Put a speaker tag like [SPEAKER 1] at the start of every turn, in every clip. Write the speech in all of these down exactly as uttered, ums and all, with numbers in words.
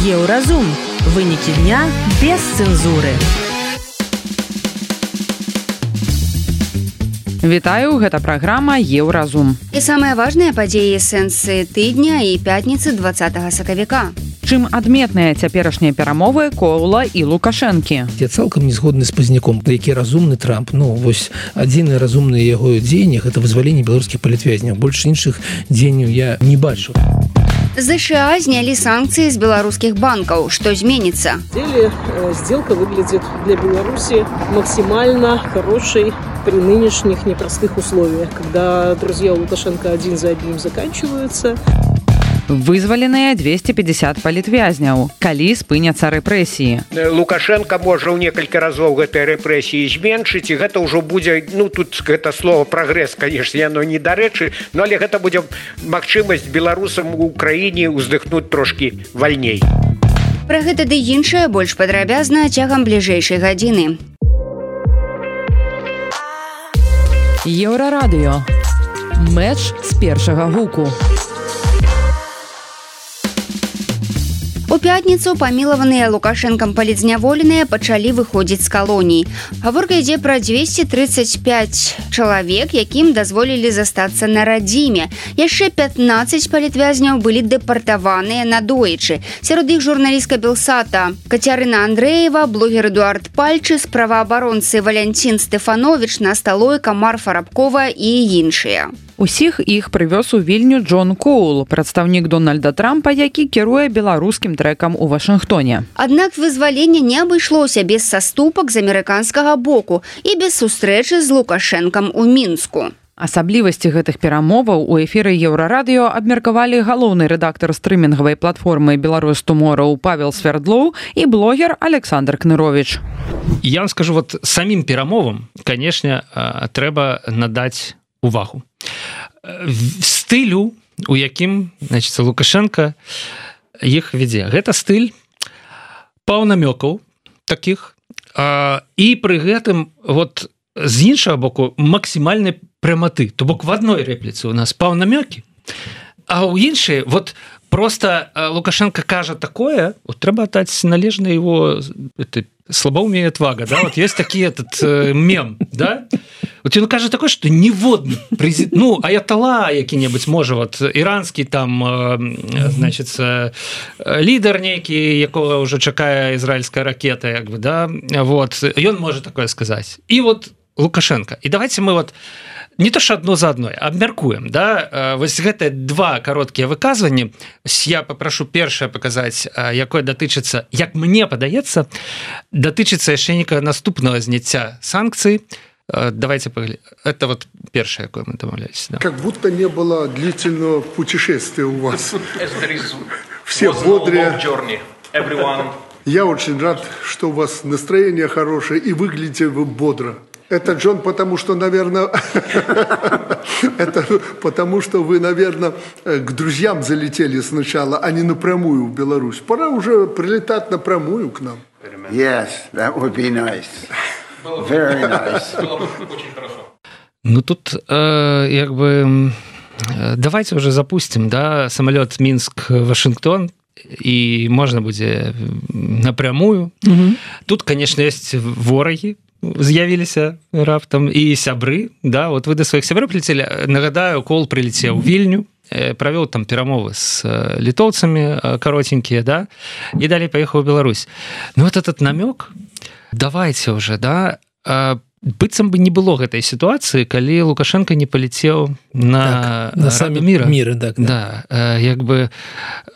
[SPEAKER 1] Еўразум. Вынікі дня без цэнзуры.
[SPEAKER 2] Вітаю, гэта праграма Еўразум.
[SPEAKER 3] І самыя важныя падзеі эсэнсы тыдня і пятніцы двадцатага сакавіка.
[SPEAKER 2] Чым адметныя цяперашнія перамовы Коула і Лукашэнкі?
[SPEAKER 4] Я цалкам не згодны з пазняком, які разумны Трамп. Ну, вось адзіны разумны яго дзеянне – гэта вызваленне беларускіх палітвязняў. Больш іншых дзеянняў я не бачу.
[SPEAKER 3] США знялі санкцыі з беларускіх банкаў. Што зменіцца?
[SPEAKER 5] В деле сделка выглядит для Беларуси максимально хорошей при нынешних непростых условиях, когда друзья Лукашенко один за одним заканчиваются.
[SPEAKER 2] Вызваленыя дзвесце пятьдесят палітвязняў. Калі спыняцца рэпрэсіі?
[SPEAKER 6] Лукашенко можа ў некалькі разоў гэтыя рэпрэсіі зменшыць, і гэта ўжо будзе, ну тут гэта слово прагрэс, канешне, яно не дарэчы, но але гэта будзе магчымасць беларусам у краіне ўздыхнуць трошкі вальней.
[SPEAKER 3] Пра гэта ды іншае больш падрабязна цягам бліжэйшай гадзіны.
[SPEAKER 1] Еўрарадыё. Мэч з першага гуку.
[SPEAKER 3] У пятніцу памілаваныя Лукашэнкам палітзняволеныя пачалі выходзіць з калоній. Гаворка ідзе пра дзвесце трыццаць пяць чалавек, якім дазволілі застацца на радзіме. Яшчэ пятнаццаць палітвязняў былі дэпартаваныя надоечы. Сярод іх журналістка Белсата Кацярына Андрэева, блогер Эдуард Пальчыс, праваабаронцы Валянцін Стэфановіч, Насталойка, Марфа Рабкова і іншыя.
[SPEAKER 2] Усіх іх прывёз у Вільню Джон Коул, прадстаўнік Дональда Трампа, які кіруе беларускім трэкам у Вашынгтоне.
[SPEAKER 3] Аднак вызваленне не абышлося без саступак з амерыканскага боку і без сустрэчы з Лукашэнкам у Мінску.
[SPEAKER 2] Асаблівасці гэтых перамоваў у эфіры Еўрарадыё абмеркавалі галоўны рэдактар стрымінгавай платформы «Беларусь Туморроу» Павел Свердлоў і блогер Александр Кнырович.
[SPEAKER 7] Я вам скажу, вот самим перамовам, конечно, трэба надаць увагу. Стылю, у якім, значит, Лукашенко іх вядзе. Гэта стыль паўнамёкаў такіх, а, і пры гэтым вот з іншага боку максімальнай пряматы. То бок в адной рэпліцы у нас паўнамёкі, а ў іншай вот просто Лукашенко кажа такое, вот трэба даць належна его это, слабоумие и отвага, да, вот есть такие этот э, мем, да, вот он кажа такое, что ніводны президент, ну, аятала які-небудзь можа, вот іранскі там э, значит, э, лідар нейкі, якога уже чакае ізраильская ракета, як бы, да, вот, ён можа такое сказаць. І вот Лукашенко. І давайте мы вот не то что одно за одной, абмяркуем, да, вось гэта два кароткія выказванні. Я попрошу першае паказаць, якое датычыцца, як мне падаецца, датычыцца яшчэ некага наступнага зняцця санкцый. Давайте поглядим. Это вот першее, якое мы домовлялись. Да.
[SPEAKER 8] Как будто не было длительного путешествия у вас. Все бодрые. Я очень рад, что у вас настроение хорошее и выглядите вы бодро. Это, Джон, потому что, наверное, это потому что вы, наверное, к друзьям залетели сначала, а не напрямую в Беларусь. Пора уже прилетать напрямую к нам.
[SPEAKER 9] Yes, that would be nice. Very nice.
[SPEAKER 7] Ну тут, э, як бы, давайте уже запустим, да, самолет Минск-Вашингтон, и можно будет напрямую. Угу. Тут, конечно, есть вораги, з'явіліся раптам і сябры, да, вот вы да сваіх сяброў прилетели. Нагадаю, Коул прилетел в Вільню, правёў там перамовы с літоўцамі каротенькія, да, і далей паехаў у Беларусь. Ну вот этот намёк, давайте уже, да, быццам бы не было гэтай сітуацыі, калі Лукашенко не палетеў на,
[SPEAKER 4] так, на
[SPEAKER 7] Раду мира.
[SPEAKER 4] мира, так,
[SPEAKER 7] да. Да, як бы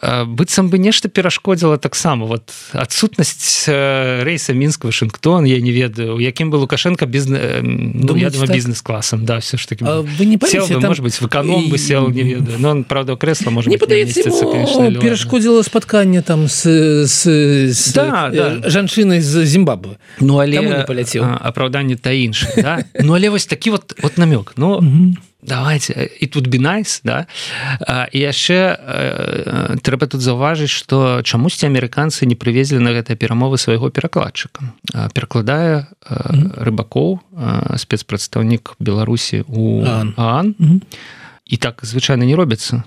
[SPEAKER 7] быццам бы нешта перашкодзіла таксама. Вот адсутнасць рейса Мінск-Вашингтон, я не ведаю, у якім бы Лукашенко бизнес, ну, я думаю, так? бизнес-классом, да, все ж таки.
[SPEAKER 4] А вы не
[SPEAKER 7] сел бы,
[SPEAKER 4] там...
[SPEAKER 7] может быть, в эконом бы сел, не ведаю. Но он, правда, у кресла, может
[SPEAKER 4] не
[SPEAKER 7] быть, не вместится, конечно.
[SPEAKER 4] Не перашкодзіла спатканне там с, с, с
[SPEAKER 7] да,
[SPEAKER 4] э,
[SPEAKER 7] да.
[SPEAKER 4] жанчынай з Зімбабве.
[SPEAKER 7] Ну, але
[SPEAKER 4] Таму не паляцеў.
[SPEAKER 7] Апраўданне та іншае, да? Ну, але вось такі вот, вот намёк. Ну, давайте, it would be nice, да? І яшчэ э, трэба тут заўважыць, што чамусьці амерыканцы не прывезлі на гэтыя перамовы свайго перакладчыка. Перакладае э, Рыбакоў, э, спецпрадстаўнік Беларусі у ААН. І так звычайна не робіцца.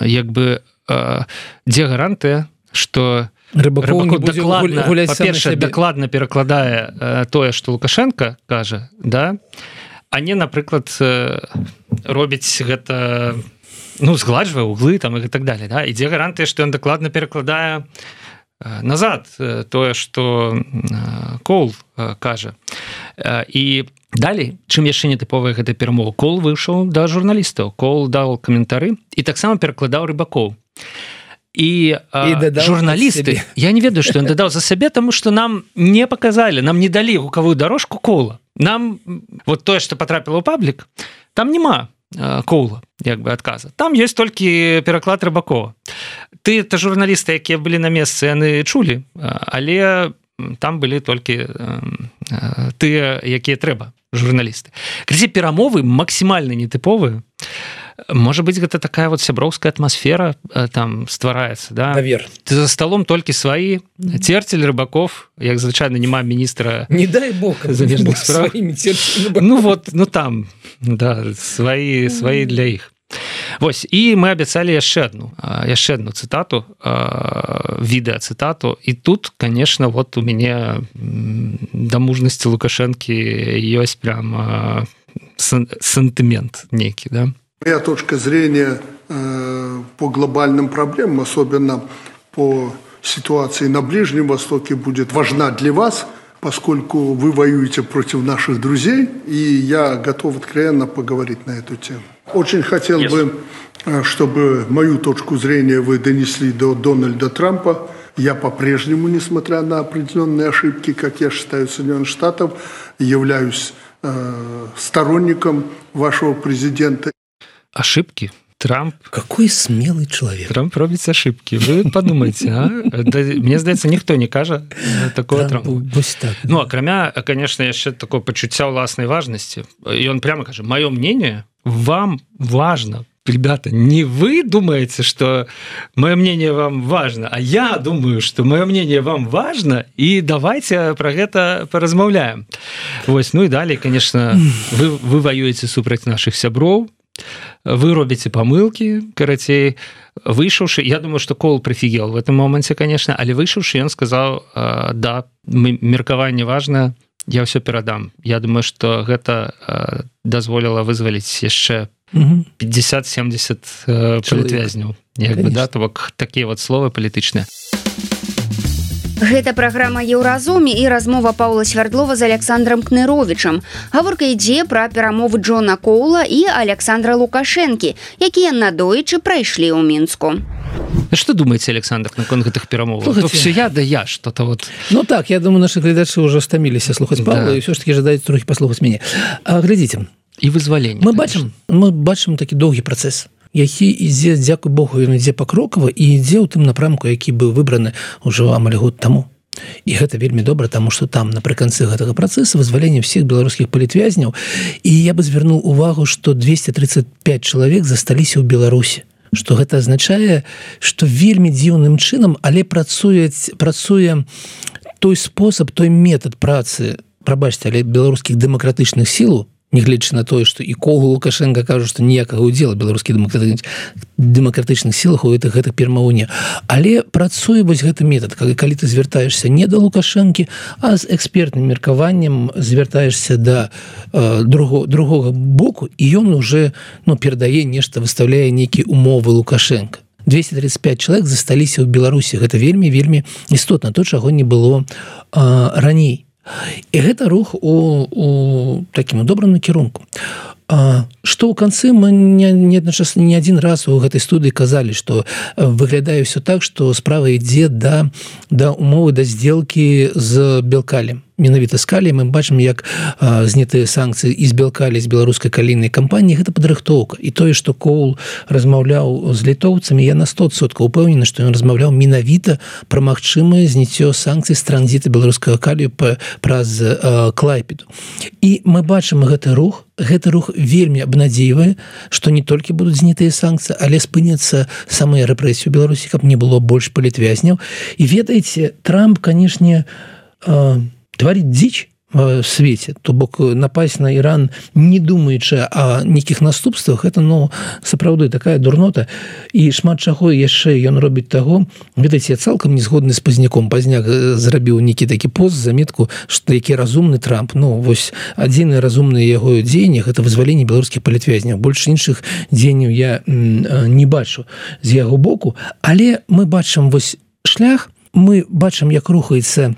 [SPEAKER 7] Як бы, э, дзе гарантыя, што Рыбаков дакладна, па-першае, дакладна перакладае э, тое, што Лукашенко кажа, да, а не, напрыклад, э, робіць гэта, ну, згладжвае углы там і так далее, да, ідзе гарантыя, што ён дакладна перакладае э, назад э, тое, што э, Коул э, кажа. Э, і далей, чым яшчэ не тыповая гэта перамова, Коул выйшаў да журналістаў, Коул даў каментары і таксама перакладаў Рыбакоў. І, і журналісты, я не ведаю, што ён дадаў за сябе, таму што нам не паказалі, нам не далі гукавую дорожку Коула. Нам вот тое, што патрапіла ў паблік, там няма Коула, як бы адказа. Там ёсць толькі пераклад Рыбакова. Ты, та журналісты, якія былі на месцы, яны чулі, але там былі толькі тыя, якія трэба, журналісты. Крызе перамовы максімальна нетыповыя. Можа быць, гэта такая вот сяброўская атмасфера там ствараецца, да?
[SPEAKER 4] Навер.
[SPEAKER 7] Ты за столом толькі сваі, Церцель, Рыбаков, як звычайна няма міністра...
[SPEAKER 4] Не дай бог,
[SPEAKER 7] замежных справ. Ну вот, ну там, да, сваі, сваі для іх. Вось, і мы абяцалі яшчэ адну, яшчэ адну цытату, відэа-цытату, і тут, конечно, вот у мяне да мужнасці Лукашэнкі ёсць прям сентымент нейкі, да?
[SPEAKER 8] Моя точка зрения э, по глобальным проблемам, особенно по ситуации на Ближнем Востоке, будет важна для вас, поскольку вы воюете против наших друзей, и я готов откровенно поговорить на эту тему. Очень хотел yes. бы, чтобы мою точку зрения вы донесли до Дональда Трампа. Я по-прежнему, несмотря на определенные ошибки, как я считаю, Соединенных Штатов, являюсь э, сторонником вашего президента.
[SPEAKER 7] Ошибки? Трамп...
[SPEAKER 4] Какой смелый человек.
[SPEAKER 7] Трамп робіць ошибки. Вы подумайте, а? Да, мне здаецца, ніхто не кажа такого Трампа.
[SPEAKER 4] Так,
[SPEAKER 7] ну, акрамя, конечно, яшчэ такое пачуцця ўласнай важнасці. И он прямо кажа, мое мнение вам важно. Ребята, не вы думаете, что мое мнение вам важно, а я думаю, что мое мнение вам важно, и давайте про гэта поразмаўляем. Вось, ну и далее, конечно, вы, вы воюете супраць наших сяброў, вы робіце памылкі, карацей, выйшаўшы, я думаю, что Коул прыфігел в этом моменте, конечно, але выйшаўшы, ён сказаў, да, меркаванне важна, я ўсё перадам. Я думаю, что гэта дазволіла вызваліць яшчэ пятьдесят-семьдесят палітвязняў. Як бы, да, то бок такія вот словы палітычныя.
[SPEAKER 3] Гэта праграма Еўразоме і размова Паўла Свярдлова з Александром Кныровічам. Гаворка ідзе пра перамовы Джона Коула і Александра Лукашэнкі, якія надоечы прайшлі ў Мінску.
[SPEAKER 7] Что думаете, Александр, наконт гэтых перамоваў? То все я, да я, что-то вот...
[SPEAKER 4] Ну так, я думаю, наши глядачы уже стаміліся слухаць Павла, да. І все ж таки жадаюць трохі паслухаць мяне. А, глядзіце.
[SPEAKER 7] І вызваленне.
[SPEAKER 4] Мы бачым, мы бачым такі доўгі працэс, які ідзе, дзякуй Богу, ён ідзе пакрокава і ідзе ў тым напрамку, які быў выбраны ўжо амаль год таму. І гэта вельмі добра, таму што там напрыканцы гэтага працэса вызвалення ўсіх беларускіх палітвязняў, і я бы звярнуў увагу, што двести тридцать пять чалавек засталіся ў Беларусі. Што гэта азначае, што вельмі дзіўным чынам, але працуе, працуе той спосаб, той метад працы, прабачце, але беларускіх дэмакратычных сілаў, нягледзячы на тое, што і Коул, Лукашенко кажуць, што ніякага ўдзела беларускіх дэмакратычных сілах у гэтых гэтых перамоваў не. Але працуе вось гэты метад, калі, калі ты звяртаешся не да Лукашэнкі, а з экспертным меркаваннем звяртаешся да э, друго, другога боку, і ён уже ну, перадае нешта, выставляе нейкія умовы Лукашенко. двести тридцать пять чалавек засталіся ў Беларусі. Гэта вельмі, вельмі істотна, то, чаго не было э, раней. І гэта рух у, у такім добрым накірунку. А, што ў канцы мы не, не, не адзін раз у гэтай студыі казалі, што выглядае ўсё так, што справа ідзе да, да умовы, да здзелкі з Белкалем. Менавіта з каліем мы бачым, як а, знятыя санкцыі і з Белкалі, з беларускай калійнай кампаніі, гэта падрыхтоўка. І тое, што Коул размаўляў з літоўцамі, я на сто адсоткаў упэўнены, што ён размаўляў менавіта пра магчымае зняццё санкцый з транзіту беларускага калію праз а, Клайпеду. І мы бачым гэты рух, гэты рух вельмі абнадзейвае, што не толькі будуць знятыя санкцыі, але спыняцца самыя рэпрэсіі ў Беларусі, каб не было больш палітвязняў. І ведаеце, Трамп, канешне, а, творить дичь свеце, то бок напасть на Іран не думаючы о нейкіх наступствах, это ну сапраўды такая дурнота, і шмат чаго яшчэ ён робіць таго. Ведаеце, я цалкам не згодны з Пазняком. Пазняк зрабіў нейкі такі пост, заметку, што які разумны Трамп. Ну вось адзінае разумнае яго дзеянне — гэта вызваленне беларускіх палітвязняў. Больш іншых дзеянняў я не бачу з яго боку, але мы бачым вось шлях, мы бачым, як рухаецца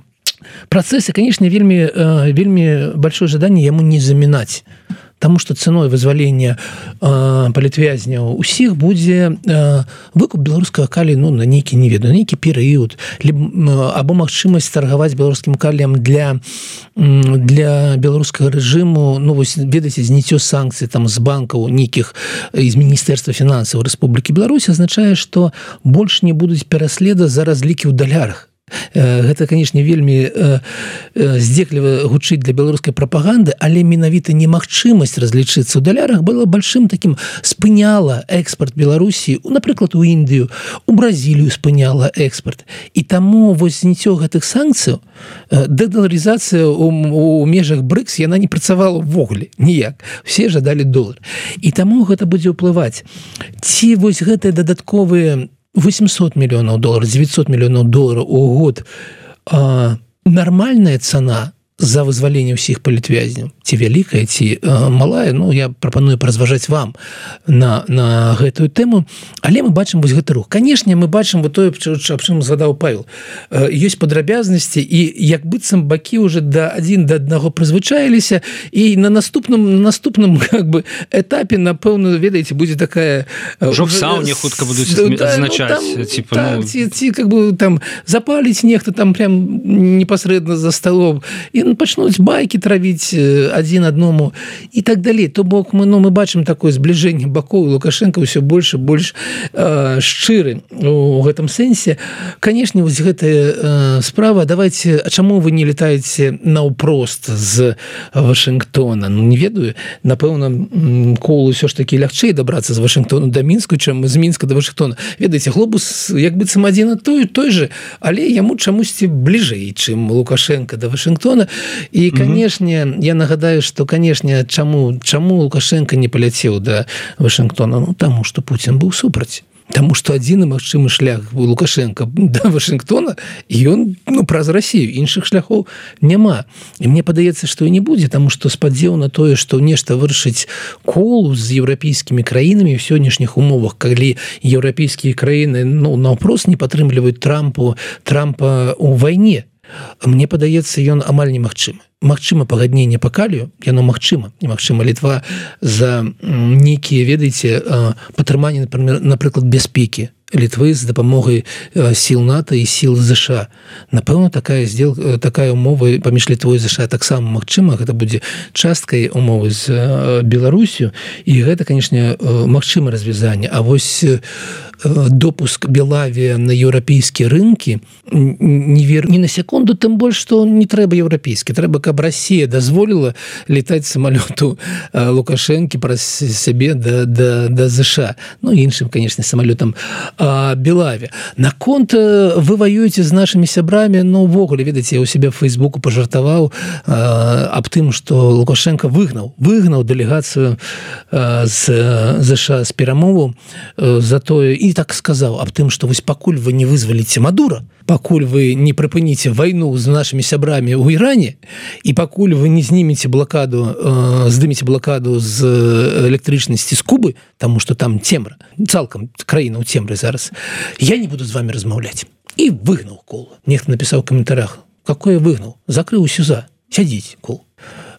[SPEAKER 4] процессы, конечно, вельми, вельми большое жаданне яму не замінаць, потому что ценой вызвалення палітвязняў усіх будзе выкуп беларускага калію, ну, на нейкі, не ведаю, нейкі перыяд, або магчымасць таргаваць беларускім каліем для, для беларускага рэжыму, ну, вось, ведаеце, зняццё санкцый там з банкаў нейкіх з Міністэрства фінансаў Рэспублікі Беларусь азначае, што больш не будуць пераследа за разлікі ў далярах. Гэта, канешне, вельмі здзекліва гучыць для беларускай прапаганды, але менавіта немагчымасць разлічыцца ў далярах была большим таким, спыняла экспорт Беларусі, напрыклад, у Індыю, у Бразілію спыняла экспорт. І таму вось зняццё гэтых санкцыяў, дэдаларызацыя у, у межах брыкс, яна не працавала ўвогуле ніяк. Все жадалі долар. І таму гэта будзе ўплываць. Ці вось гэтыя дадатковыя восемьсот миллионов долларов, девятьсот миллионов долларов у год а, нормальная цена за вызваленне ўсіх палітвязняў, ці вялікая, ці а, малая, ну, я прапаную паразважаць вам на, на гэтую тэму, але мы бачым вось гэты рух. Канешне, мы бачым вот тое, аб чым згадаў Павел. Ёсць падрабязнасці, і як быццам бакі уже да адзін да аднаго прызвычаіліся, і на наступным, на наступным как бы, этапе, напэўна, ведаеце, будзе такая...
[SPEAKER 7] Ужо в сауне хутка будуць азначаць,
[SPEAKER 4] ну,
[SPEAKER 7] типа,
[SPEAKER 4] так,
[SPEAKER 7] ну...
[SPEAKER 4] ці, ці, как бы, там, запаліць нехта там прям непасрэдна за столом, і пачнуць байкі травіць адзін адному і так далей. То бок мы, ну, мы бачым такое збліжэнне бакоў, і Лукашенко ўсё больш і больш э, шчыры у гэтым сэнсе. Канешне, вось гэтая э, справа, давайте, а чаму вы не летаеце наўпрост з Вашынгтона? Ну, не ведаю, напэўна, Коулу ўсё ж такі лягчэй дабрацца з Вашынгтона да Мінску, чым з Мінска да Вашынгтона. Ведаеце, глобус як быццам адзін і той, той же, але яму чамусьці бліжэй, чым Лукашенко да Вашынгтона. І, канешне, угу. я нагадаю, што, канешне, чаму, чаму Лукашенко не паляцеў да Вашынгтона? Ну, таму, што Пуцін быў супраць. Таму, што адзіны магчымы шлях у Лукашенко да Вашынгтона, і ён, ну, праз Расію, іншых шляхоў няма. І мне падаецца, што і не будзе, таму што спадзеў на тое, што нешта вырашыць Коулу з еўрапейскімі краінамі ў сённяшніх умовах, калі еўрапейскія краіны, ну, наўпрост не падтрымліваюць Трампу, Трампа ў вайне. Мне падаецца, ён амаль немагчымы. Магчыма пагадненне па калію, яно магчыма, немагчыма. Літва за нейкія, ведаеце, падтрыманне, напрыклад, бяспекі Літвы з дапамогай сіл НАТО і сіл ЗША. Напэўна, такая здел, такая умова паміж Літвой і ЗША таксама магчыма. Гэта будзе часткай умовы з Беларусю. І гэта, канешне, магчыма развязанне. А вось допуск Белавія на еўрапейскія рынкі не вер... не на секунду, тым больш, што не трэба еўрапейскі. Трэба, каб Расія дазволіла летаць самалёту Лукашэнкі праз сябе да, да, да ЗША. Ну, іншым, канешне, самалётам Белаве. Наконт вы воюеце з нашымі сябрамі, ну, увогуле, ведаеце, я ў себе в Фейсбуку пажартаваў аб тым, што Лукашенко выгнаў, выгнаў дэлегацыю з ЗША з перамову за тое, і так сказаў аб тым, што вось пакуль вы не вызваліце Мадура, пакуль вы не прыпыніце вайну з нашымі сябрамі ў Іране, і пакуль вы не знімеце блакаду, здымеце блакаду з электрычнасці з Кубы, таму што там цемра, цалкам краіна ў цемры зараз, я не буду з вами размаўляць. І выгнаў Коула. Нехта напісаў у каментарях, какое выгнаў? Закрыў сюза. Сядзіць, Коул.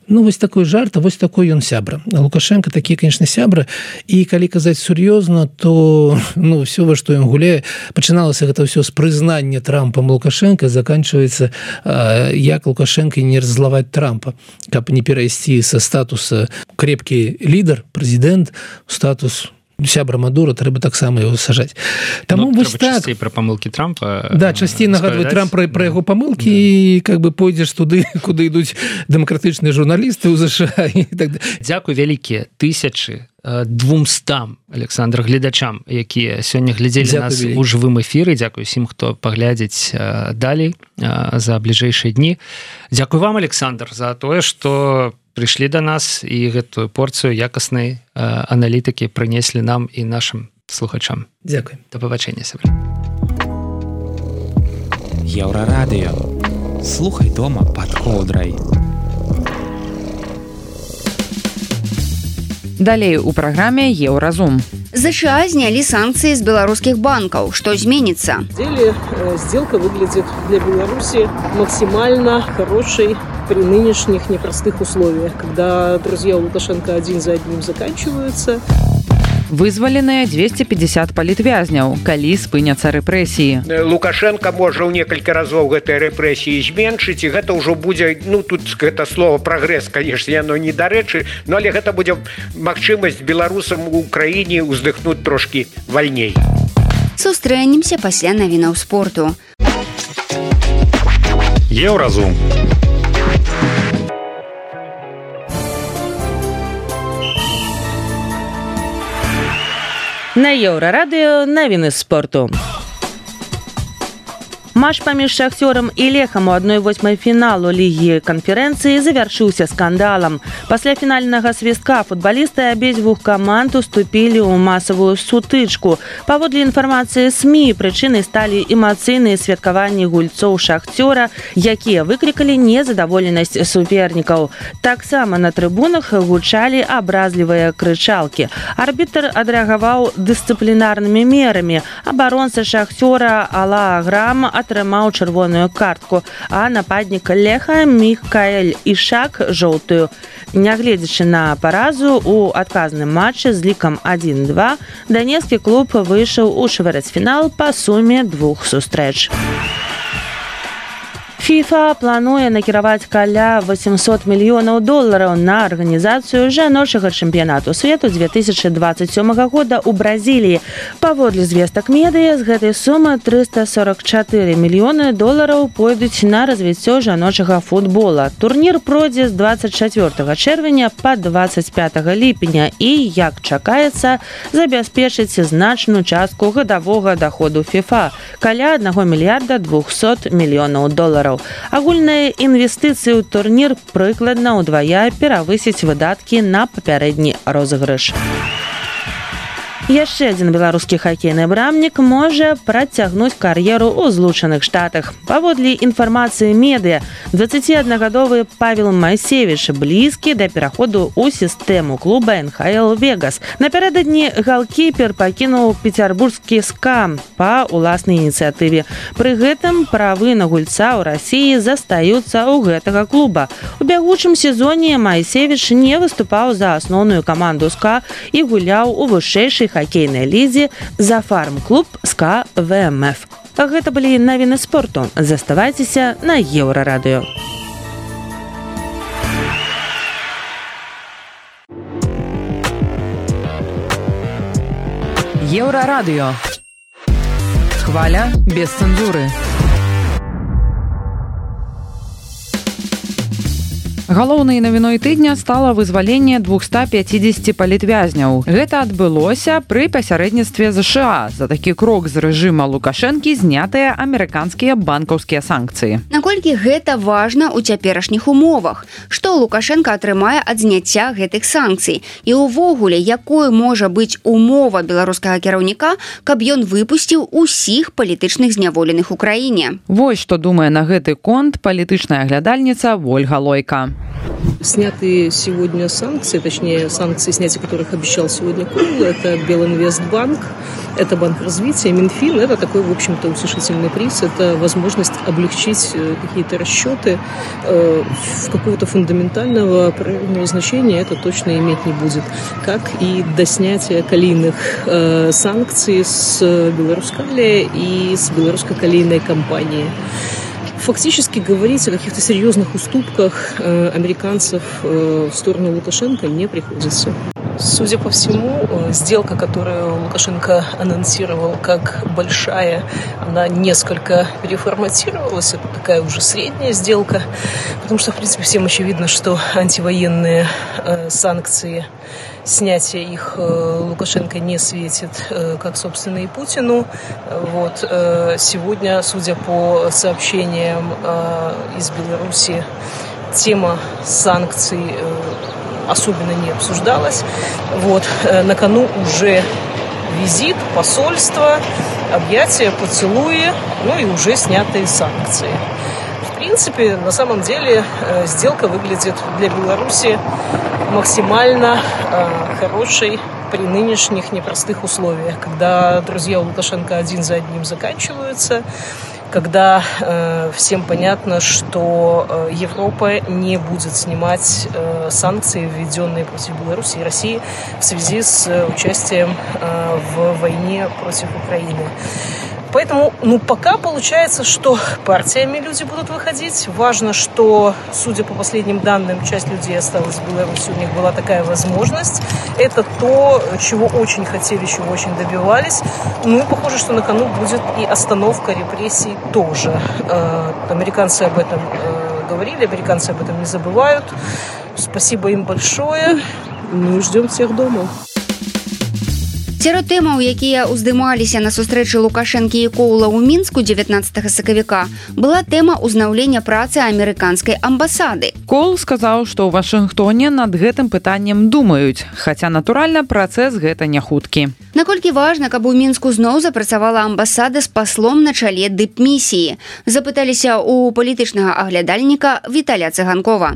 [SPEAKER 4] Ну, вось такой жарт, а вось такой ён сябра. Лукашенко такие, конечно, сябры. І калі казаць сур'ёзна, то, ну, все, во што ён гуляе, пачыналася гэта ўсё з прызнання Трампам Лукашенко, заканчиваецца, э, як Лукашенко не раззлаваць Трампа, каб не перайсці са статуса крепкі лідар, прэзідэнт, статус сябра Мадура трэба таксама его сажаць. Таму
[SPEAKER 7] ну,
[SPEAKER 4] вось так
[SPEAKER 7] пра памылкі Трампа
[SPEAKER 4] да часцей нагадваць Трамп пра, пра яго памылкі і да. Как бы пойдзеш туды куды ідуць дэмакратычныя журналісты ў ЗША і так.
[SPEAKER 7] Дзякуй вялікія тысячы двумстам Александр гледачам, якія сёння глядзелі нас у жывым эфіры. Дзякуй усім, хто паглядзіць далей за бліжэйшыя дні. Дзякуй вам, Александр, за тое, што прыйшлі да нас і гэтую порцыю якаснай аналітыкі прынеслі нам і нашым слухачам.
[SPEAKER 4] Дзякуй.
[SPEAKER 7] Да пабачэння, сябры.
[SPEAKER 10] Еўрарадыё. Слухай дома пад коўдрай.
[SPEAKER 2] Далей у праграме Еўразум.
[SPEAKER 3] ЗША знялі санкцыі з беларускіх банкаў. Што зменіцца?
[SPEAKER 5] Деле сделка выглядит для Беларуси максимально хорошей при нынешних непростых условиях, когда друзья Лукашенко один за одним заканчиваются.
[SPEAKER 2] Вызваленыя двести пятьдесят палітвязняў, калі спыняцца рэпрэсіі.
[SPEAKER 6] Лукашенко можа ў некалькі разоў гэтай рэпрэсіі зменшыць, і гэта ўжо будзе, ну тут гэта слово прагрэс, конечно, яно недарэчы, но але гэта будзе магчымасць беларусам у краіне ўздыхнуць трошкі вальней.
[SPEAKER 3] Сустрэнемся пасля навінаў спорту.
[SPEAKER 11] Еўразум.
[SPEAKER 1] На Еўрарадыё навіны спорту. Матч паміж Шахцёрам і Лехам у адной восьмай фіналу лігі канферэнцыі завяршыўся скандалам. Пасля фінальнага свістка футбалісты абедзвюх каманд уступілі ў масавую сутычку. Паводле інфармацыі СМІ, прычынай сталі эмацыйныя святкаванні гульцоў Шахцёра, якія выклікалі незадаволенасць супернікаў. Таксама на трыбунах гучалі абразлівыя крычалкі. Арбітр адрэагаваў дысцыплінарнымі мерамі. Абаронца Шахцёра Алла Аграм атрымаў чырвоную картку, а нападнік Леха Мікаэль Ішак жоўтую. Нягледзячы на паразу у адказным матчы з лікам адзін-два, данецкі клуб выйшаў у чвэрцьфінал па суме двух сустрэч. ФІФА плануе накіраваць каля восемьсот мільёнаў долараў на арганізацыю жаночага чэмпіянату свету две тысячи двадцать сёмага года ў Бразіліі. Паводле звестак медыя, з гэтай сумы триста сорок чатыры мільёны долараў пойдуць на развіццё жаночага футбола. Турнір пройдзе з двадцать чацвёртага чэрвеня па двадцать пятага ліпеня і, як чакаецца, забяспечыць значную частку гадавога даходу ФІФА – каля аднаго мільярда двухсот мільёнаў долараў. Агульныя інвестыцыі ў турнір прыкладна ўдвая перавысяць выдаткі на папярэдні розыгрыш. Яшчэ адзін беларускі хакейны брамнік можа працягнуць кар'еру ў Злучаных Штатах. Паводле інфармацыі медыя, дваццаціаднагадовы Павел Майсевіч блізкі да пераходу ў сістэму клуба эн ха эл Вегас. Напярэдадні галкіпер пакінуў пецярбургскі СКА па ўласнай ініцыятыве. Пры гэтым правы на гульца ў Расіі застаюцца ў гэтага клуба. У бягучым сезоне Майсевіч не выступаў за асноўную каманду СКА і гуляў у вышэйшай хакейнай лізе за фарм-клуб СКА вэ эм эф. Гэта былі навіны спорту. Заставайцеся на Еўрарадыё.
[SPEAKER 2] Еўрарадыё. Хваля без цэнзуры. Галоўнай навіной тыдня стала вызваленне двухсот пятидесяти палітвязняў. Гэта адбылося пры пасярэдніцтве ЗША. За такі крок з рэжыма Лукашэнкі знятыя амерыканскія банкаўскія санкцыі.
[SPEAKER 3] Наколькі гэта важна ў цяперашніх умовах? Што Лукашенко атрымае ад зняцця гэтых санкцый? І ўвогуле, якой можа быць умова беларускага кіраўніка, каб ён выпусціў усіх палітычных зняволеных у краіне?
[SPEAKER 2] Вось што думае на гэты конт палітычная глядальніца Ольга Лойка.
[SPEAKER 5] Снятые сегодня санкции, точнее санкции, снятия которых обещал сегодня Круглый, это Белинвестбанк, это Банк развития, Минфин, это такой, в общем-то, утешительный приз, это возможность облегчить какие-то расчеты, в какого-то фундаментального правильного значения это точно иметь не будет, как и до снятия калийных санкций с Белорускали и с белорусско-калийной компании. Фактически говорить о каких-то серьезных уступках э, американцев э, в сторону Лукашенко не приходится. Судя по всему, сделка, которую Лукашенко анонсировал как большая, она несколько переформатировалась. Это такая уже средняя сделка, потому что, в принципе, всем очевидно, что антивоенные э, санкции, снятие их э, Лукашенко не светит, э, как, собственно, и Путину. Вот, э, сегодня, судя по сообщениям э, из Беларуси, тема санкций э, особенно не обсуждалась. Вот, э, на кону уже визит, посольство, объятия, поцелуи, ну и уже снятые санкции. В принципе, на самом деле, э, сделка выглядит для Беларуси максимально э, хорошей при нынешних непростых условиях, когда друзья у Лукашенко один за одним заканчиваются, когда э, всем понятно, что э, Европа не будет снимать э, санкции, введенные против Беларуси и России в связи с э, участием э, в войне против Украины. Поэтому, ну, пока получается, что партиями люди будут выходить. Важно, что, судя по последним данным, часть людей осталась в Беларуси, у них была такая возможность. Это то, чего очень хотели, чего очень добивались. Ну и похоже, что на кону будет и остановка репрессий тоже. Э, американцы об этом э, говорили, американцы об этом не забывают. Спасибо им большое. Ну и ждем всех дома.
[SPEAKER 3] Сярод тэмаў, якія ўздымаліся на сустрэчы Лукашэнкі і Коула ў Мінску дзевятнаццатага сакавіка, была тэма ўзнаўлення працы амерыканскай амбасады.
[SPEAKER 2] Коул сказаў, што ў Вашынгтоне над гэтым пытаннем думаюць, хаця, натуральна, працэс гэта не хуткі.
[SPEAKER 3] Наколькі важна, каб у Мінску зноў запрацавала амбасада з паслом на чале дыпмісіі? Запыталіся ў палітычнага аглядальніка Віталя Цыганкова.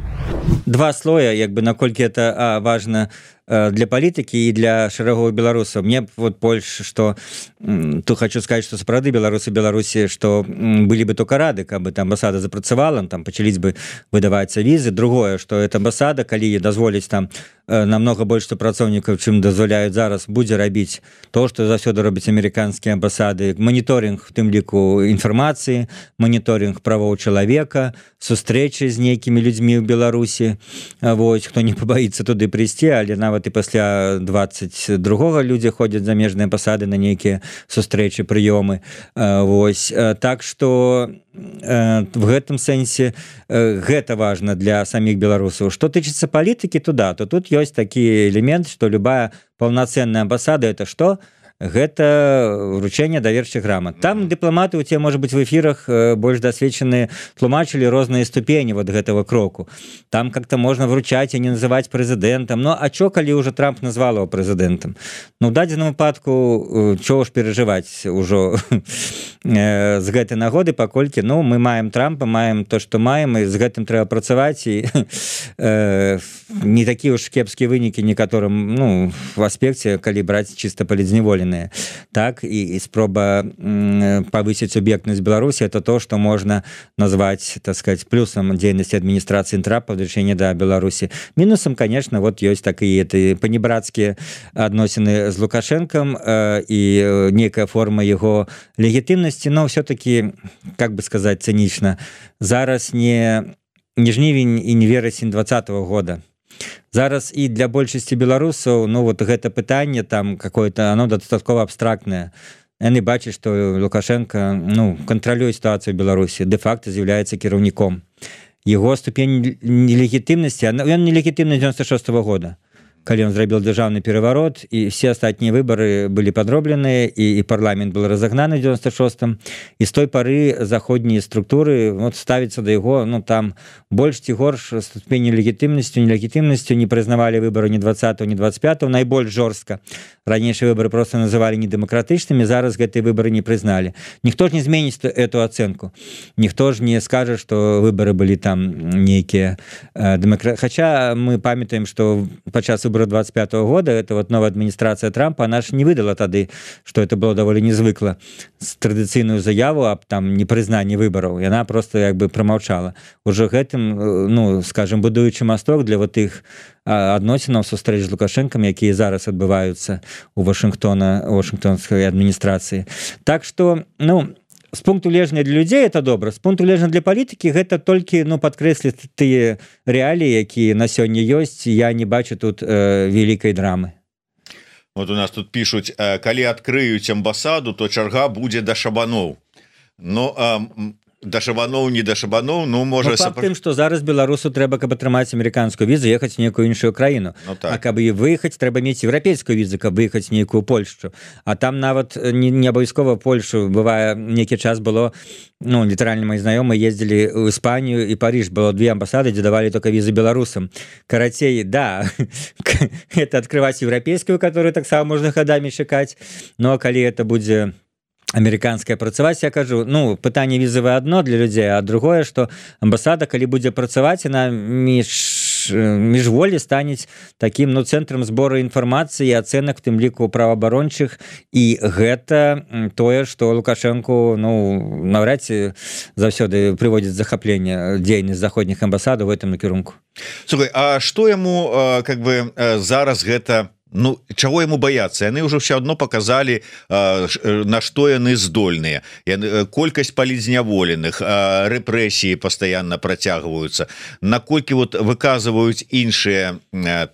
[SPEAKER 11] Два слоя, як бы, наколькі это а, важна для палітыкі і для шэрагоў беларусаў. Мне вот больш, што тут хочу сказаць, што сапраўды беларусы Беларусі, што былі бы только рады, каб там амбасада запрацавала, там пачались бы выдавацца візы. Другое, што эта амбасада, калі дазволіць там намного больш супрацоўнікаў, чым дазваляюць зараз, будзе рабіць то, што заўсёды робяць амерыканскія амбасады: моніторинг, в тым ліку, інфармацыі, моніторинг правоў чалавека, сустрэчы з нейкімі людзьмі ў Беларусі. Вось, хто не пабаіцца туды прыйсці, але нават і пасля двадцать другога людзі ходзяць замежныя амбасады на нейкія сустрэчы, прыёмы. Вось, так што в гэтым сэнсе гэта важна для саміх беларусаў. Што тычыцца палітыкі, то да, то тут ёсць такі элемент, што любая паўнацэнная амбасада — это што? Гэта вручэнне даверчых грамат. Там дыпламаты у цябе, можа быць, в эфірах больш дасведчаныя тлумачылі розныя ступені вот гэтага кроку. Там как-то можна вручаць і не называць прэзідэнтам. Ну, а чо, калі ўжо Трамп назвал его прэзідэнтам? Ну, ў дадзеным выпадку, чого ж перажываць ужо з гэтай нагоды, паколькі, ну, мы маем Трампа, маем то, што маем, і з гэтым трэба працаваць, і э, не такія ўж кепскія вынікі некаторым, ну, в аспекце, калі браць чыста палітзняволеныя. Так, і, і спроба м, повысить субъектность Беларуси — это то, что можно назвать, так сказать, плюсом деятельности администрации Трампа в решении до Беларуси. Минусом, конечно, вот есть такие это понебратские отношения с Лукашенком э, и некая форма его легитимности, но все-таки, как бы сказать цинично, зараз не, не жнівень и не вересень двадцатого года. Зараз і для большасці беларусаў, ну вот гэта пытанне там какое-то, оно дастаткова абстрактнае. Яны бачаць, што Лукашенко, ну, кантралюе сітуацыю ў Беларусі, дэ-факта з'яўляецца кіраўніком. Яго ступень нелегітымнасці, ён нелегітымны девяносто шестого года, калі ён зрабіў дзяржаўны пераварот, і все астатнія выбары былі падробленыя, і, і парламент был разагнаны в девяносто шестом, і з той пары заходнія структуры вот ставіцца да яго, ну там больш ці горш ступені легітымнасцю, нелегітымнасцю, не прызнавалі выбары ні двадцатого, ні двадцать пятого, найбольш жорстка. Ранейшие выборы просто называли недемократычнымі, зараз гэтыя выборы не прызналі. Ніхто ж не зменіць эту ацэнку. Ніхто ж не скажа, што выборы былі там нейкія э, демократычныя. Хаця мы памятаем, што падчас выбораў двадцать пятого года это вот новая адміністрацыя Трампа, она ж не выдала тады, што это было даволі незвыкла, традыцыйную заяву аб там непрызнанні выбораў. Яна просто як бы прамаўчала. Уже гэтым, ну, скажем, будуючы масток для вот іх адносінаў сустрэч з Лукашэнкам, якія зараз адбываюцца у Вашынгтона, Вашынгтонскай адміністрацыі. Так што, ну, з пункту гледжання для людзей это добра, з пункту гледжання для палітыкі гэта толькі ну падкрэсліць тыя рэаліі, якія на сёння ёсць. Я не бачу тут э, вялікай драмы.
[SPEAKER 12] Вот у нас тут пишут, калі адкрыюць амбасаду, то чарга будзе да шабаноў. Но а, да шабаноў, не да шабаноў, ну можа...
[SPEAKER 11] Ну, факт тым, што зараз беларусу трэба, каб атрымаць амерыканскую візу, ехаць в некую іншую краіну.
[SPEAKER 12] Ну, так.
[SPEAKER 11] А каб і выехаць, трэба мець еўрапейскую візу, каб выехаць нейкую Польшчу. А там нават не, не абавязкова Польшу. Бывае, нейкі час было, ну, літаральна мои знаёмыя ездзілі ў Іспанію і Париж. Было две амбасады, дзе давалі только візы беларусам. Карацей, да, это открываць еўрапейскую, которую таксама можна гадамі чакаць. Ну, а калі это будзе... амерыканская працаваць, я кажу, ну, пытанне візавае адно для людзей, а другое, што амбасада, калі будзе працаваць, яна між, міжволі станець такім, ну, цэнтрам збору інфармацыі і ацэнак, в тым ліку праваабарончых, і гэта тое, што Лукашэнку, ну, наўрад ці заўсёды прыводзіць захапленне дзейнасць заходніх амбасадаў в гэтым накірунку.
[SPEAKER 12] Слухай, а што яму, как бы, зараз гэта... Ну, чаго яму баяцца? Яны ўжо ўсё адно паказалі, на што яны здольныя. Колькасць палізняволеных, рэпрэсіі пастаянна працягваюцца. Наколькі вот выказваюць іншыя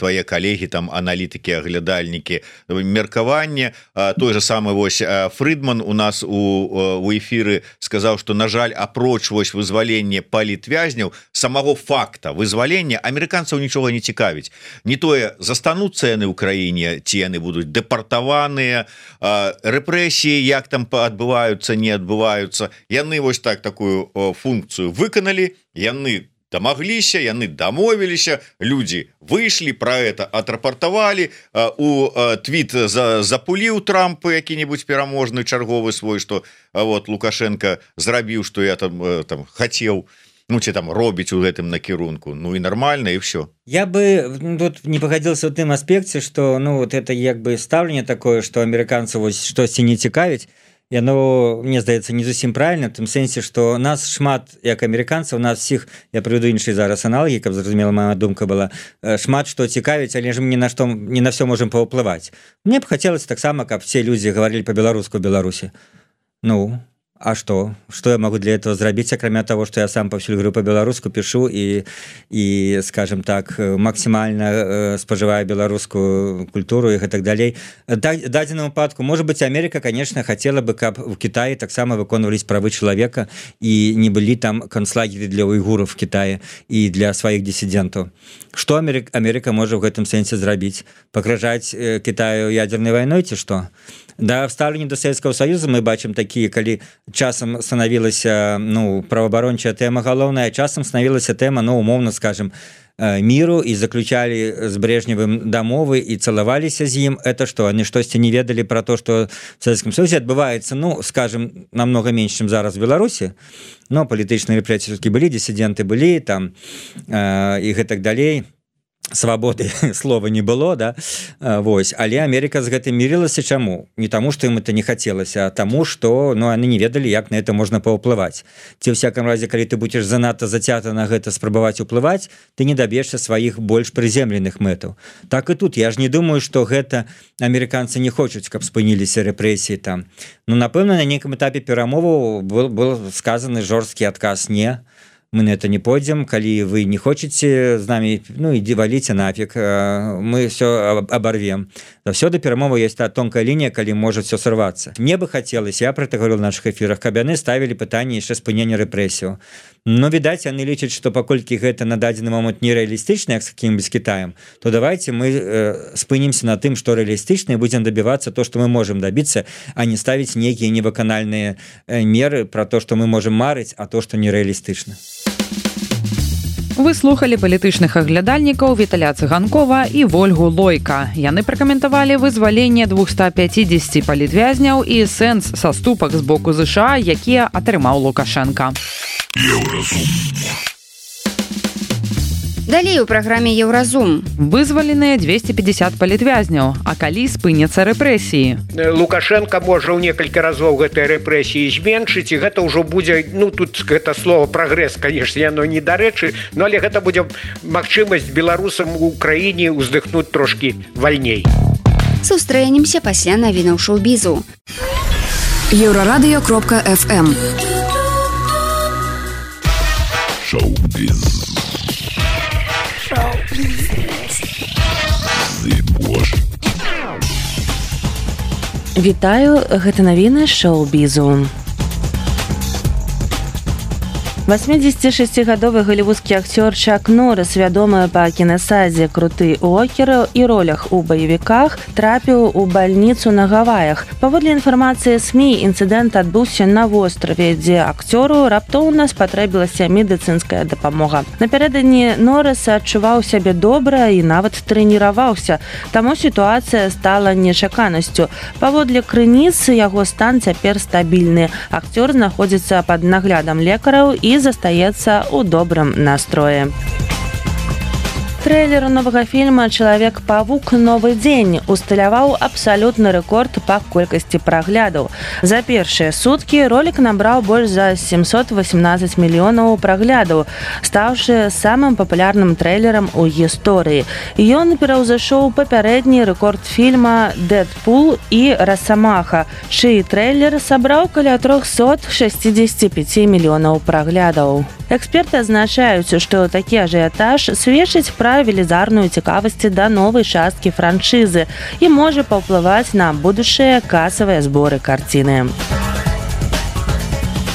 [SPEAKER 12] твае калегі, там, аналітыкі, аглядальнікі, меркаванне. Той же самы вось Фрыдман у нас у, у эфіры сказаў, што, на жаль, апроч вось вызваленне палітвязняў, самого факта вызвалення амерыканцаў нічога не цікавіць. Не тое, застануцца яны ў краіне, ці яны будуць дэпартаваныя, рэпрэсіі як там адбываюцца, не адбываюцца. Яны вось так такую функцыю выканалі, яны дамагліся, яны дамовіліся, людзі выйшлі, пра гэта атрапартавалі, у твіт запуліў Трамп які-небудзь пераможны чарговы свой, што вот Лукашенко зрабіў, што я там, там хацеў, ну, ці там робіць у гэтым накірунку, ну і нормально, і все.
[SPEAKER 11] Я бы тут не пагадзіўся ў тым аспекце, што, ну, вот это як бы стаўленне такое, што амерыканцу вось штосьці не цікавіць, яно, мне здаецца, не зусім правільна, в тым сэнсе, што нас шмат, як амерыканцаў, нас всіх, я прывяду іншыя зараз аналогі, каб зразумела моя думка была, шмат што цікавіць, але ж мы ні на што, не на все можем паўплываць. Мне б хацелася таксама, каб все людзі гаварылі па-беларуску ў Беларусі. Ну... А что? Что я могу для этого зрабіць, акрамя того, что я сам паўсюль говорю по-беларуску, пишу и, и, скажем так, максимально э, споживаю беларускую культуру и так далее. В дадзеным выпадку, может быть, Америка, конечно, хотела бы, каб в Китае таксама выконвались правы человека и не были там концлагеры для уйгуров в Китае и для своих диссидентов. Что Америка, Америка может в этом сенсе зрабіць? Пагражаць э, Китаю ядерной войной, ці что? Да, в ставленні до Савецкага Союза мы бачым такія, калі часам станавілася, ну, праваабарончая тэма галоўная, часам станавілася тэма, ну, умоўна скажем, міру і заключалі з Брежневым дамовы і цалаваліся з ім. Это што, они штосьці не ведалі пра то, што в Савецкім Союзе адбываецца, ну, скажем, намного менш, чым зараз в Беларусі, но палітычныя рэпрэсіі былі, дысідэнты былі, там, э, і гэтак далей. Свабоды слова не было, да, вось, але Америка з гэтым мірылася. Чаму? Не таму, што ім это не хацелася, а таму, што, ну, яны не ведалі, як на это можна паўплываць. Ці ў всяком разе, калі ты будзеш занадта зацята на гэта спрабаваць уплываць, ты не даб'ешся сваіх больш прыземленых мэтаў. Так і тут, я ж не думаю, што гэта амерыканцы не хочуць, каб спыніліся рэпрэсіі там. Ну, напэўна, на нейкім этапе перамоваў был, был сказаны жорсткі адказ «не». Мы на это не пойдем, калі вы не хочаце з намі, ну, ідзі валіце нафиг, мы все оборвем. Заўсёды перамова есть та тонкая лінія, калі можа все сорваться. Мне бы хотелось, я про это говорил в наших эфирах, каб яны ставілі пытанне яшчэ спынення рэпрэсіяў. Но, відаць, яны лічаць, што паколькі гэта на дадзены момант нереалістычна, як з каким-нибудь Китаем, то давайте мы э, спынімся на тым, што реалістычна, і будем добиваться то, что мы можем добиться, а не ставить некие невыканальные э, меры про то, что мы можем марыць, а то, что нереалістычна.
[SPEAKER 2] Вы слухали палітычных аглядальнікаў Віталя Цыганкова і Вольгу Лойка. Яны пракаментавалі вызваленне двухсот пятидесяти палітвязняў і сэнс саступак з боку ЗША, якія атрымаў Лукашенко.
[SPEAKER 3] Далей у праграме Еўразум.
[SPEAKER 2] Вызваленыя двести пятьдесят палітвязняў, а калі спыняцца рэпрэсіі?
[SPEAKER 6] Лукашенко можа ў некалькі разоў гэтыя рэпрэсіі зменшыць, і гэта ўжо будзе, ну, тут гэта слово прагрэс, конечно, яно не дарэчы, но але гэта будзе магчымасць беларусам у краіне ўздыхнуць трошкі вальней.
[SPEAKER 3] Сустрэнемся пасля навінаў шоу-бізу.
[SPEAKER 13] Еврорадио кропка эф эм.
[SPEAKER 14] Шоу-біз. Шоу-біз. Зыбош.
[SPEAKER 1] Вітаю, гэта навіны шоу-бізу. восьмидесятишестигадовый голливудский актер Чак Норрис, вядомы па кінасадзе «Круты Уокер» і ролях у баевіках, трапіў у бальніцу на Гаваях. Паводле інфармацыі СМІ, інцыдэнт адбыўся на востраве, дзе акцёру раптоўна спатрэбілася медыцынская дапамога. Напярэдадні Норрис адчуваў сябе добра і нават трэніраваўся, таму сітуацыя стала нечаканасцю. Паводле крыніц, яго стан цяпер стабільны. Акцёр знаходзіцца пад наглядам лекараў і застаецца ў добрым настроі. Трэйлер новага фільма «Чалавек-павук. Новы дзень» усталяваў абсалютны рэкорд па колькасці праглядаў. За першыя суткі ролик набраў больш за семьсот восемнадцать мільёнаў праглядаў, стаўшы самым папулярным трэйлерам у гісторыі. Ён пераўзышоў папярэдні рэкорд фільма «Дэдпул» і «Расамаха», чый трэйлер сабраў каля триста шестьдесят пять мільёнаў праглядаў. Эксперты адзначаюць, што такі ажыятаж сведчыць пра велізарную цікавасць да новай часткі франшызы і можа паўплываць на будучыя касавыя зборы карціны.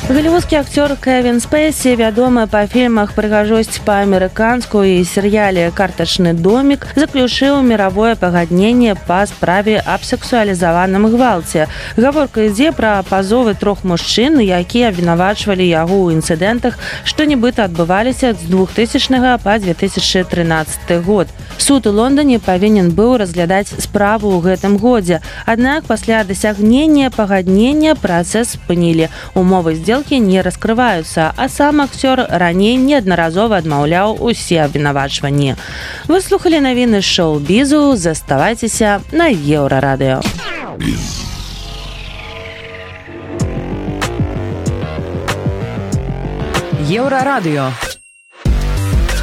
[SPEAKER 1] Голливудский актер Кевин Спейси, вядомы па фільмах «Прыгажосць па-амерыканску» і серыяле «Картачны домик», заключыў мировое пагадненне па справе аб сексуалізаваным гвалце. Гаворка ідзе пра пазовы трох мужчын, якія абвінавачвалі яго ў інцыдэнтах, што нібыта адбываліся з двухтысячнага па две тысячи тринадцаты год. Суд у Лондоне павінен быў разглядаць справу ў гэтым годзе. Аднак пасля дасягнення пагаднення працэс спынілі. Умовы здзелкі не раскрываюцца, а сам акцёр раней неаднаразова адмаўляў усе абвінавачванні. Вы слухалі навіны шоу-бізу, заставайцеся на Еўрарадыё.
[SPEAKER 2] Еўрарадыё.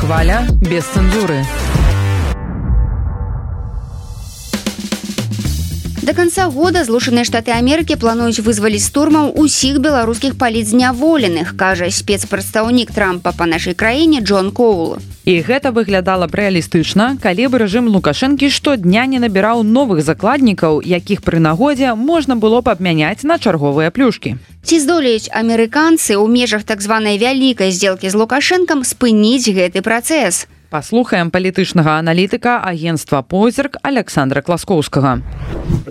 [SPEAKER 2] Хваля без цэнзуры.
[SPEAKER 3] До конца года Злучаныя Штаты Амерыкі плануюць вызваліць штурмам усіх беларускіх палітзняволеных, кажа спецпрадстаўнік Трампа па нашай краіне Джон Коул.
[SPEAKER 2] І гэта выглядала б рэалістычна, калі б рэжым Лукашэнкі штодня не набіраў новых закладнікаў, якіх пры нагодзе можна было б абмяняць на чарговыя плюшкі.
[SPEAKER 3] Ці здолеюць амерыканцы ў межах так званай вялікай здзелкі з Лукашэнкам спыніць гэты працэс?
[SPEAKER 2] Паслухаем палітычнага аналітыка агенцтва «Позірк» Александра Класкоўскага.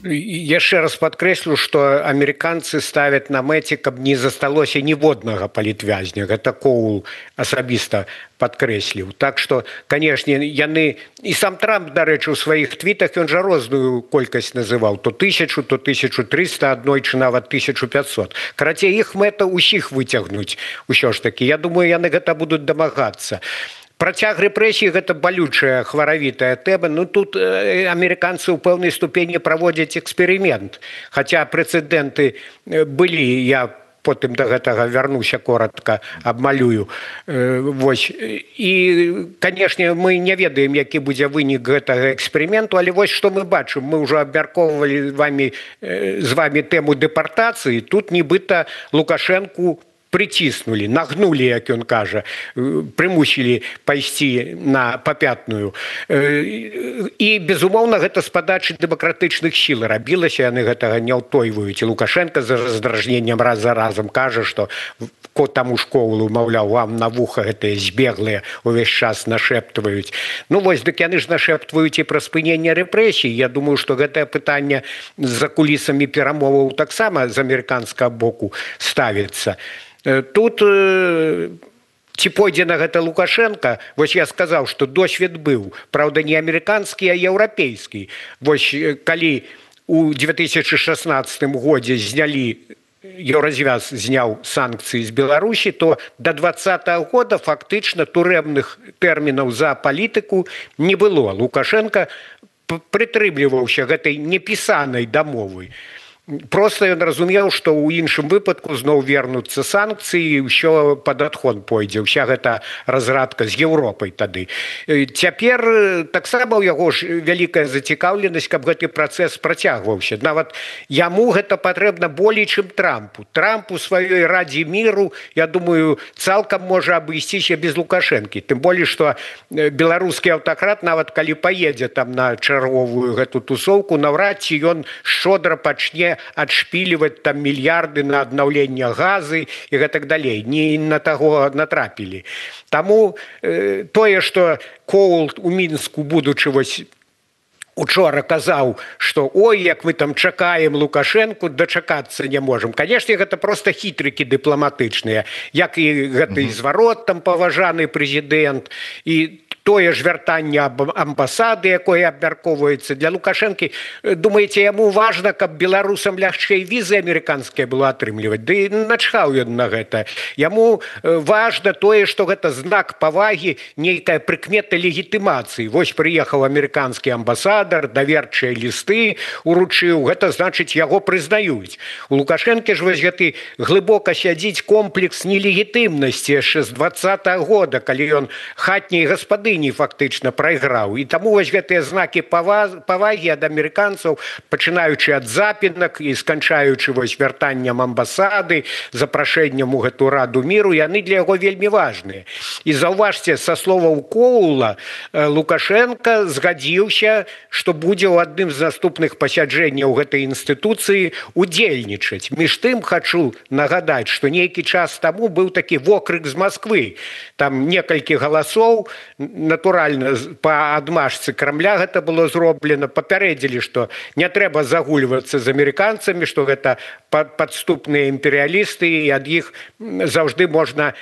[SPEAKER 6] Яшчэ раз падкрэслю, што амерыканцы ставяць на мэце, каб не засталося ніводнага палітвязня. Гэта Коул асабіста падкрэсліў. Так што, канешне, яны... І сам Трамп, дарэчы, у сваіх твітах, ён жа розную колькасць называў. То тысячу, то тысячу триста, аднойчы нават тысячу пятьсот. Карацей, іх мэта ўсіх выцягнуць. Усё ж такі. Я думаю, яны гэта будуць дамагацца. Працяг рэпрэсій – гэта балючая хваравітая тэма. Ну, тут э, амерыканцы ў пэўнай ступені праводзяць эксперымент. Хаця прэцэдэнты былі, я потым да гэтага вярнуся коротка, абмалюю. Э, вось. І, канешне, мы не ведаем, які будзе вынік гэтага эксперыменту, але вось што мы бачым. Мы ўжо абмяркоўвалі вамі, э, з вамі тэму дэпартацыі. Тут нібыта Лукашэнку прыціснулі, нагнулі, як ён кажа, прымусілі пайсці на папятную. І, безумоўна, гэта з падачы дэмакратычных сіл рабілася, яны гэтага не ўтойваюць. І Лукашенко за раздражненнем раз за разам кажа, што таму школу, маўляў, вам на вуха гэтыя збеглыя увесь час нашэптваюць. Ну вось, дык яны ж нашэптваюць і пра спыненне рэпрэсій. Я думаю, што гэтае пытанне за кулісамі перамоваў таксама з амерыканскага боку ставіцца. Тут ці пойдзе на гэта Лукашенко, вось я сказаў, што досвед быў, праўда, не амерыканскі, а еўрапейскі. Вось калі у две тысячи шестнадцатым годзе знялі, Еўразвяз зняў санкцыі з Беларусі, то да двадцатага года фактычна турэмных тэрмінаў за палітыку не было. Лукашенко прытрымліваўся гэтай непісанай дамовы. просто ён разумеў, што ў іншым выпадку зноў вернуцца санкцыі, ўсё пад адхон пойдзе, ўся гэта разрадка з Еўропай тады. Цяпер таксама ў яго ж вялікая зацікаўленасць, каб гэты працэс працягваўся. Нават яму гэта патрэбна болей, чым Трампу. Трамп у сваёй радзе міру, я думаю, цалкам можа абысціся без Лукашэнкі. Тым болей, што беларускі аўтакрат, нават калі паедзе там на чарговую гэту тусоўку, наўрад ці ён шчодра пачне адшпіліваць там мільярды на аднаўленне газы і гэтак далей. Не на таго натрапілі. Таму э, тое, што Коул у Мінску, будучы вось учора казаў, што ой, як мы там чакаем Лукашэнку, дачакацца не можам. Канешне, гэта проста хітрыкі дыпламатычныя, як і гэты зварот там паважаны прэзідэнт і тое ж вяртанне амбасады, якое абмяркоўваецца для Лукашэнкі. Думаеце, яму важна, каб беларусам лягчэй візы амерыканскія было атрымліваць? Ды начхаў ён на гэта. Яму важна тое, што гэта знак павагі, нейкая прыкмета легітымацыі. Вось прыехаў амерыканскі амбасадар, даверчыя лісты уручыў, гэта значыць, яго прызнаюць. У Лукашэнкі ж вось гэты глыбока сядзіць комплекс нелегітымнасці яшчэ з двадцатага года, калі ён хатняй гаспады фактычна прайграў. І таму вось гэтыя знакі павагі ад амерыканцаў, пачынаючы ад запінак і сканчаючы вось вяртаннем амбасады, запрашэннем у гэту раду міру, яны для яго вельмі важныя. І заўважце, са словаў Коула, Лукашенко згадзіўся, што будзе ў адным з наступных пасяджэнняў гэтай інстытуцыі удзельнічаць. Між тым хачу нагадаць, што нейкі час таму быў такі вокрык з Масквы. Там некалькі галасоў, натуральна, па адмашцы Крамля гэта было зроблена, папярэдзілі, што не трэба загульвацца з амерыканцамі, што гэта падступныя імперыялісты, і ад іх заўжды можна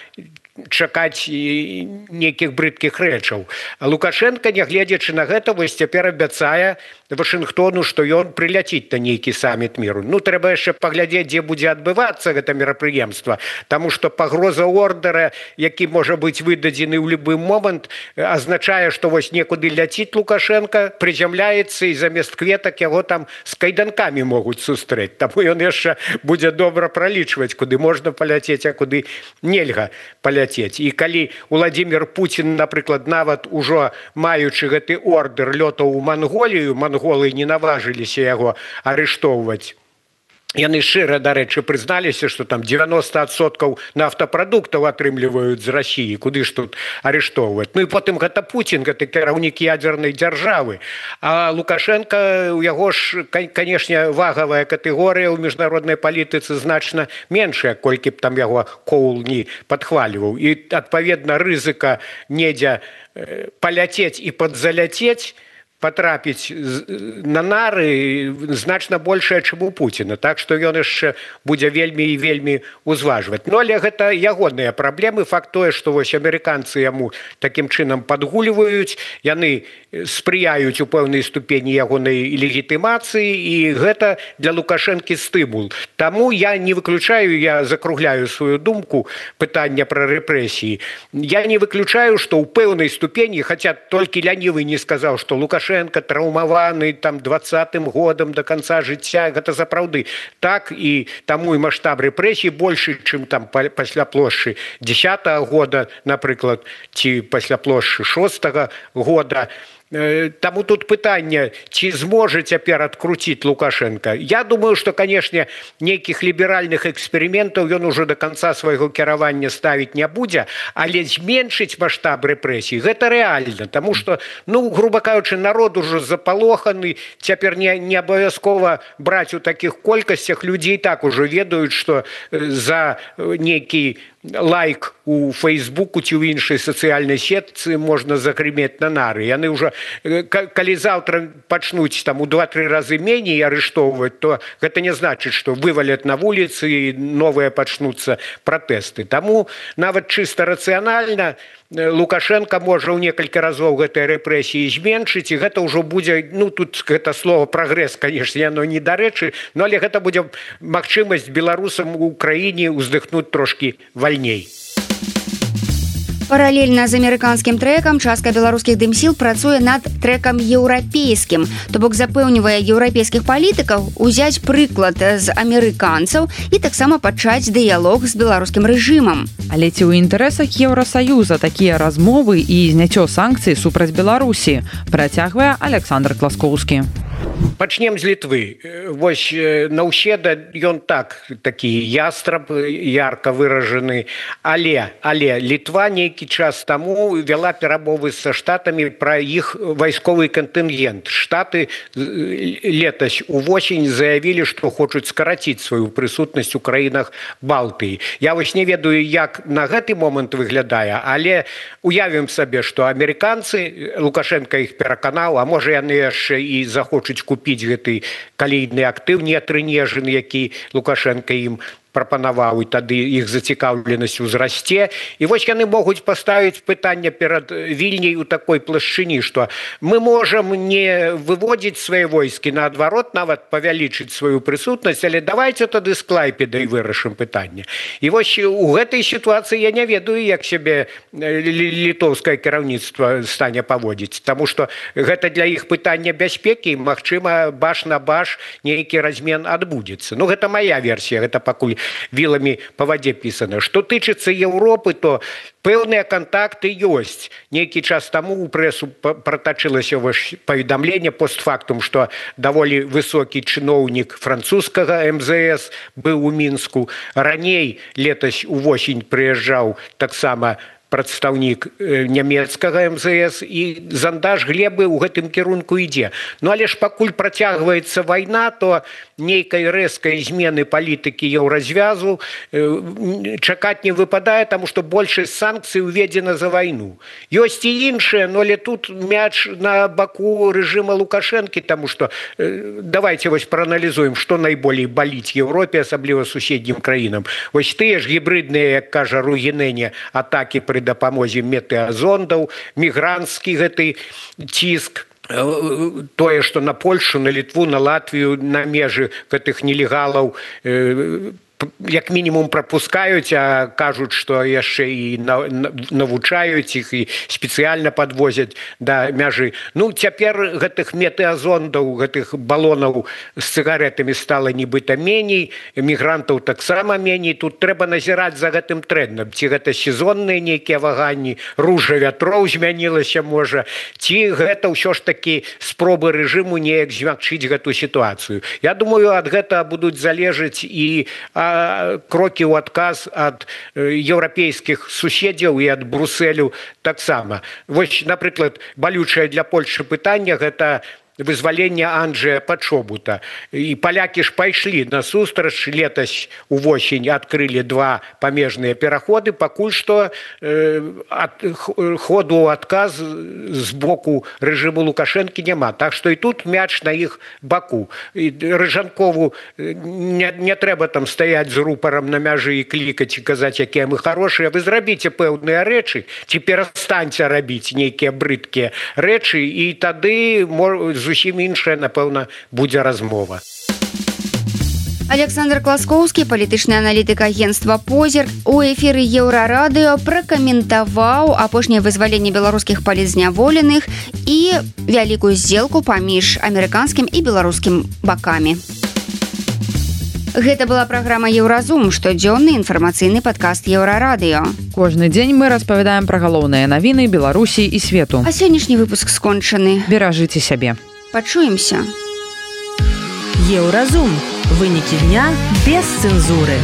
[SPEAKER 6] чакаць нейкіх брыдкіх рэчаў. А Лукашенко, нягледзячы на гэта, вось цяпер абяцае Вашынгтону, што ён прыляціць на нейкі саміт міру. Ну, трэба яшчэ паглядзець, дзе будзе адбывацца гэта мерапрыемства, таму што пагроза ордара, які можа быць выдадзены ў любы момант, азначае, што вось некуды ляціць Лукашенко, прызямляецца, і замест кветак яго там з кайданкамі могуць сустрэць. Таму ён яшчэ будзе добра пралічваць, куды можна паляцець, а куды нельга паляцець. І калі Владзімір Пуцін, напрыклад, нават ужо маючы гэты ордэр лётаў у Манголію, манголы не наважыліся яго арыштоўваць. Яны шчыра, дарэчы, прызналіся, што там дзевяноста адсоткаў нафтапрадуктаў атрымліваюць з Расіі, куды ж тут арыштоўваць. Ну і потым гэта Пуцін, гэта кіраўнік ядзернай дзяржавы. А Лукашенко, у яго ж, канешне, вагавая катэгорыя ў міжнароднай палітыцы значна меншая, колькі б там яго Коул не падхваліваў. І, адпаведна, рызыка недзе паляцець і падзаляцець, патрапіць на нары значна большая, чым у Пуціна. Так што ён яшчэ будзе вельмі і вельмі узважваць. Ну, але гэта ягоныя праблемы. Факт тое, што вось амерыканцы яму такім чынам падгульваюць, яны спрыяюць у пэўнай ступені ягонай легітымацыі, і гэта для Лукашэнкі стымул. Таму я не выключаю, я закругляю сваю думку пытання пра рэпрэсіі. Я не выключаю, што ў пэўнай ступені, хаця толькі лянівы не сказаў, што Лукашенко траўмаваны там двадцатым годам да канца жыцця, гэта сапраўды так, і таму і маштаб рэпрэсій большы, чым там пасля плошчы дзесятага года, напрыклад, ці пасля плошчы шостага года. Таму тут пытанне, ці зможа цяпер адкруціць Лукашенко. Я думаю, што, канешне, нейкіх ліберальных эксперыментаў ён ужо да канца свайго кіравання ставіць не будзе, але зменшыць маштаб рэпрэсій гэта рэальна, таму што, ну, груба кажучы, народ ужо запалоханы, цяпер не, не абавязкова браць у такіх колькасцях, людзі і так ужо ведаюць, што за нейкі лайк у Фейсбуку ці ў іншай сацыяльнай сетцы можна загрымець на нары. Яны ўжо, калі заўтра пачнуць там у два-тры разы меней арыштоўваць, то гэта не значыць, што вываляць на вуліцы і новыя пачнуцца пратэсты. Таму нават чыста рацыянальна Лукашенко можа ў некалькі разоў гэтыя рэпрэсіі зменшыць, і гэта ўжо будзе, ну, тут гэта слово прагрэс, канешне, яно не дарэчы, но але гэта будзе магчымасць беларусам у краіне ўздыхнуць трошкі вальней.
[SPEAKER 3] Паралельна з амерыканскім трэкам частка беларускіх дым-сіл працуе над трэкам еўрапейскім. То бок запэўнівае еўрапейскіх палітыкаў узяць прыклад з амерыканцаў і таксама пачаць дыялог з беларускім рэжымам.
[SPEAKER 2] Але ці ў інтарэсах Еўрасаюза такія размовы і зняццё санкцый супраць Беларусі, працягвае Александр Класкоўскі.
[SPEAKER 6] Пачнем з Літвы. Вось Наўседа, ён так, такі ястраб, ярка выражаны, але, але Літва нейкі час таму вяла перамовы са штатамі пра іх вайсковы кантынгент. Штаты летась увосень заявілі, што хочуць скараціць сваю прысутнасць у краінах Балтыі. Я вось не ведаю, як на гэты момант выглядае, але уявім сабе, што амерыканцы, Лукашенко іх пераканаў, а можа яны яшчэ і захочуць купіць гэты калійны актыў неатрынежаны, які Лукашенко ім прапанаваў, і тады іх зацікаўленасць узрасце. І вось яны могуць паставіць пытанне перад Вільняй у такой плашчыні, што мы можам не выводзіць свае войскі, наадварот, нават павялічыць сваю прысутнасць, але давайте тады з Клайпедай вырашым пытанне. І вось у гэтай сітуацыі я не ведаю, як сябе літоўскае кіраўніцтва стане паводзіць, таму што гэта для іх пытання бяспекі, магчыма, баш на баш нейкі размен адбудзецца. Ну, гэта мая версія, гэта пакуль вилами по воде писано. Что тычыцца Европы, то пэўныя контакты ёсць. Нейкі час таму у прэсу протачылася паведамленне постфактум, што даволі высокі чыноўнік французскага эм зэ эс быў у Мінску. Раней летась увосень прыязджаў таксама прадстаўнік нямецкага эм зэ эс, і зандаж глебы ў гэтым кірунку ідзе. Ну, але ж пакуль працягваецца вайна, то нейкай рэзкай змены палітыкі еўразвязу чакаць не выпадае, таму што большасць санкцый уведзена за вайну. Ёсць і іншыя, но але тут мяч на баку рэжыма Лукашэнкі, таму што давайте вось прааналізуем, што найболей баліць Еўропе, асабліва суседнім краінам. Вось тыя ж гібрыдныя, як кажа Ругінэне, атакі пры дапамозе метэазондаў, мігранцкі гэты ціск, тое, што на Польшу, на Літву, на Латвію, на межы гэтых нелегалаў як мінімум прапускаюць, а кажуць, што яшчэ і навучаюць іх і спецыяльна падвозяць да мяжы. Ну, цяпер гэтых метэазондаў, гэтых балонаў з цыгаретамі стала нібыта меней, мігрантаў таксама меней. Тут трэба назіраць за гэтым трэндам. Ці гэта сезонныя нейкія ваганні, ружа вятроў змянілася, можа, ці гэта ўсё ж такі спробы рэжыму неяк змякчыць гэту сітуацыю. Я думаю, ад гэта будуць залежаць і крокі ў адказ ад еўрапейскіх суседзяў і ад Брусэлю таксама. Вось, напрыклад, балючае для Польшы пытанне – гэта вызваленне Анджэя Пачобута. І палякі ж пайшлі насустрач, летась увосень адкрылі два памежныя пераходы, пакуль што э, ад, ходу адказ з боку рэжыму Лукашэнкі няма. Так што і тут мяч на іх баку. І Рыжанкову не, не трэба там стаяць з рупарам на мяжы і клікаць і казаць, якія мы хорошыя. Вы зрабіце пэўныя рэчы, ці перастаньце рабіць нейкія брыдкія рэчы, і тады зусім іншая, напэўна, будзе размова.
[SPEAKER 3] Александр Класкоўскі, палітычны аналітык агенцтва «Позірк», у эфіры Еўрарадыё пракаментаваў апошняе вызваленне беларускіх палітзняволеных і вялікую здзелку паміж амерыканскім і беларускім бакамі. Гэта была праграма «Еўразум», штодзённы інфармацыйны падкаст Еўрарадыё.
[SPEAKER 2] Кожны дзень мы распавядаем пра галоўныя навіны Беларусі і свету.
[SPEAKER 3] А сённяшні выпуск скончаны.
[SPEAKER 2] Беражыце сябе.
[SPEAKER 3] Пачуемся.
[SPEAKER 1] Еўразум. Вынікі дня без цэнзуры.